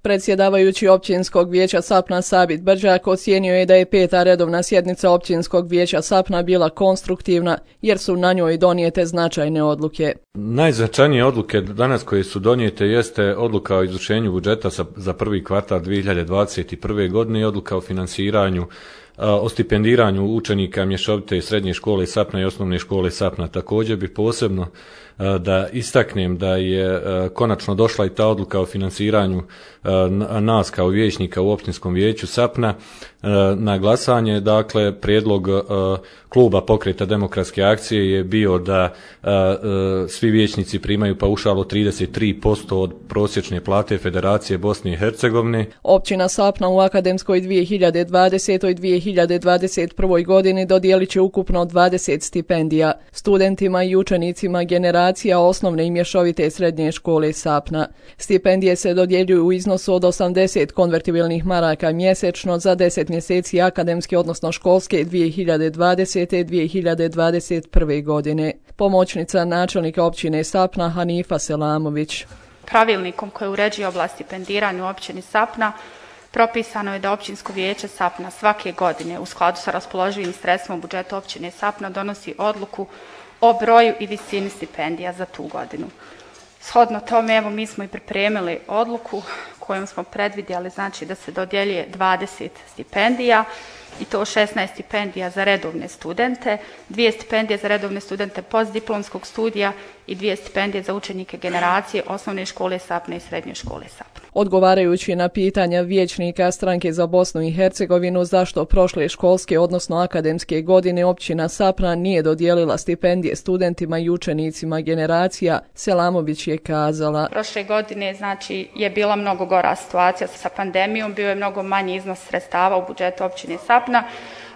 Predsjedavajući općinskog vijeća Sapna Sabit Brđak ocijenio je da je 5. redovna sjednica općinskog vijeća Sapna bila konstruktivna jer su na njoj donijete značajne odluke. Najznačajnije odluke danas koje su donijete jeste odluka o izvršenju budžeta za prvi kvartal 2021. godine i odluka o finansiranju, o stipendiranju učenika mješovite srednje škole Sapna i osnovne škole Sapna. Također bi posebno da istaknem da je konačno došla i ta odluka o finansiranju nas kao vijećnika u općinskom vijeću Sapna na glasanje. Dakle, prijedlog kluba Pokreta demokratske akcije je bio da svi vijećnici primaju paušal od 33% od prosječne plate Federacije Bosne i Hercegovine. Općina Sapna u akademskoj 2020. i 2021. godini dodijelit će ukupno 20 stipendija studentima i učenicima generacija osnovne i mješovite srednje škole Sapna. Stipendije se dodjeljuju u iznosu od 80 konvertibilnih maraka mjesečno za 10 mjeseci akademske, odnosno školske 2020. i 2021. godine. Pomoćnica načelnika općine Sapna Hanifa Selamović. Pravilnikom koji uređuje oblast stipendiranja u općini Sapna propisano je da općinsko vijeće Sapna svake godine u skladu sa raspoloživim sredstvima u budžetu općine Sapna donosi odluku o broju i visini stipendija za tu godinu. Shodno tome, evo, mi smo i pripremili odluku kojom smo predvidjeli, znači, da se dodjeljuje 20 stipendija i to 16 stipendija za redovne studente, 2 stipendije za redovne studente postdiplomskog studija i 2 stipendije za učenike generacije osnovne škole Sapna i srednje škole Sapna. Odgovarajući na pitanja vijećnika Stranke za Bosnu i Hercegovinu zašto prošle školske, odnosno akademske godine općina Sapna nije dodijelila stipendije studentima i učenicima generacija, Selamović je kazala: Prošle godine, znači, je bila mnogo gora situacija sa pandemijom, bio je mnogo manji iznos sredstava u budžetu općine Sapna,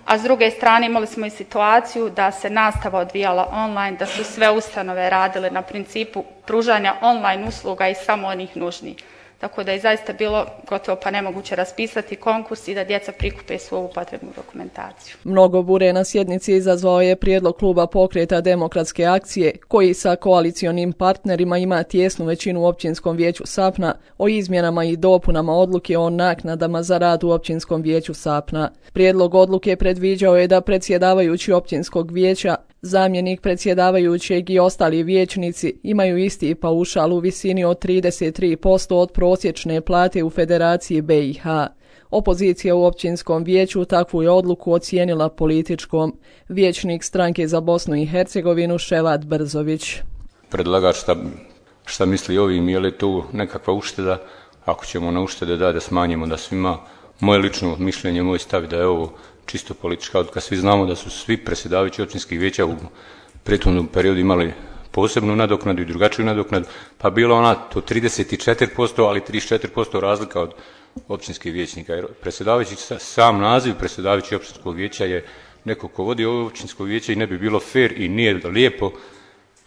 a s druge strane imali smo i situaciju da se nastava odvijala online, da su sve ustanove radile na principu pružanja online usluga i samo onih nužnih. Tako da je zaista bilo gotovo pa nemoguće raspisati konkurs i da djeca prikupe svu ovu potrebnu dokumentaciju. Mnogo bure na sjednici izazvao je prijedlog kluba Pokreta demokratske akcije, koji sa koalicionim partnerima ima tijesnu većinu u općinskom vijeću Sapna, o izmjenama i dopunama odluke o naknadama za rad u općinskom vijeću Sapna. Prijedlog odluke predviđao je da predsjedavajući općinskog vijeća, zamjenik predsjedavajućeg i ostali vijećnici imaju isti paušal u visini od 33% od prosječne plate u Federaciji BiH. Opozicija u općinskom vijeću takvu je odluku ocijenila političkom. Vijećnik Stranke za Bosnu i Hercegovinu Ševat Brzović. Predlagač šta misli ovim, je li tu nekakva ušteda? Ako ćemo na uštede da smanjimo da svima, moje lično mišljenje, moj stav da je ovo čisto politička odluka. Svi znamo da su svi predsjedavajući općinskih vijeća u prethodnom periodu imali posebnu nadoknadu i drugačiju nadoknadu, pa bilo ona to 34%, ali 34% razlika od općinskih vijećnika. Jer predsjedavajući, sam naziv predsjedavajući općinskog vijeća je neko ko vodi ovo općinsko vijeće i ne bi bilo fair i nije lijepo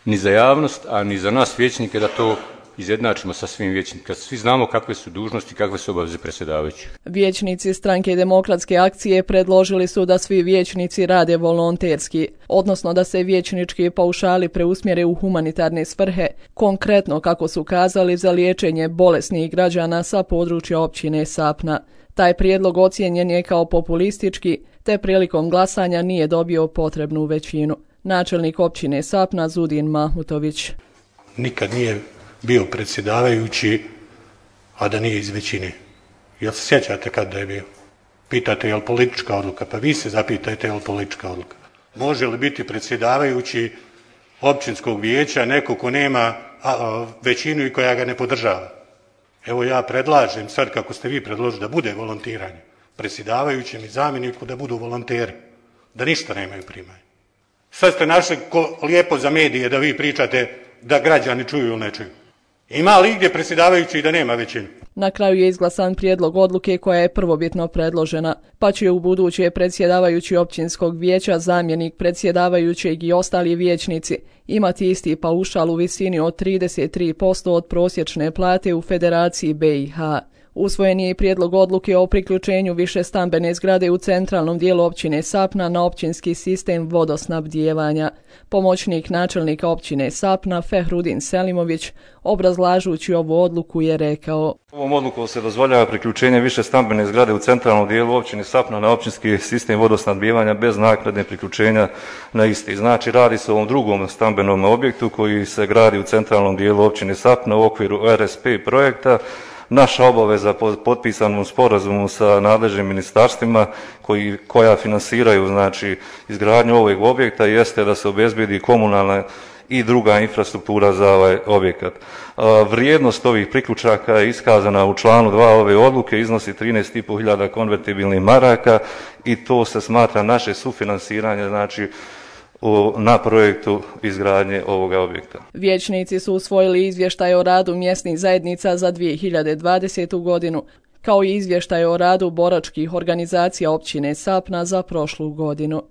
ni za javnost, a ni za nas vijećnike da to izjednačimo sa svim vijećnicima. Svi znamo kakve su dužnosti, kakve su obaveze predsjedavajućih. Vijećnici Stranke demokratske akcije predložili su da svi vijećnici rade volonterski, odnosno da se vijećnički paušali preusmjere u humanitarne svrhe, konkretno, kako su kazali, za liječenje bolesnih građana sa područja općine Sapna. Taj prijedlog ocijenjen je kao populistički, te prilikom glasanja nije dobio potrebnu većinu. Načelnik općine Sapna Zudin Mahmutović. Nikad nije bio predsjedavajući, a da nije iz većine. Jel se sjećate kada je bio? Pitate je li politička odluka, pa vi se zapitajte je li politička odluka. Može li biti predsjedavajući općinskog vijeća neko ko nema većinu i koja ga ne podržava? Evo, ja predlažem sad, kako ste vi predložili, da bude volontiranje predsjedavajućem i zamjeniku, da budu volonteri, da ništa nemaju primanje. Sad ste našli lijepo za medije da vi pričate da građani čuju ili ne čuju. Ima li gdje predsjedavajući da nema većinu? Na kraju je izglasan prijedlog odluke koja je prvobitno predložena, pa će u buduće predsjedavajući općinskog vijeća, zamjenik predsjedavajućeg i ostali vijećnici imati isti paušal u visini od 33% od prosječne plate u Federaciji BiH. Usvojen je i prijedlog odluke o priključenju višestambene zgrade u centralnom dijelu općine Sapna na općinski sistem vodosnabdijevanja. Pomoćnik načelnika općine Sapna, Fehrudin Selimović, obrazlažući ovu odluku, je rekao: Ovom odlukom se dozvoljava priključenje višestambene zgrade u centralnom dijelu općine Sapna na općinski sistem vodosnabdijevanja bez naknadne priključenja na isti. Znači, radi se o ovom drugom stambenom objektu koji se gradi u centralnom dijelu općine Sapna u okviru RSP projekta. Naša obaveza po potpisanom sporazumu sa nadležnim ministarstvima koja finansiraju znači izgradnju ovog objekta jeste da se obezbedi komunalna i druga infrastruktura za ovaj objekat. Vrijednost ovih priključaka je iskazana u članu 2 ove odluke, iznosi 13.500 konvertibilnih maraka i to se smatra naše sufinansiranje znači na projektu izgradnje ovoga objekta. Vijećnici su usvojili izvještaj o radu mjesnih zajednica za 2020. godinu, kao i izvještaj o radu boračkih organizacija općine Sapna za prošlu godinu.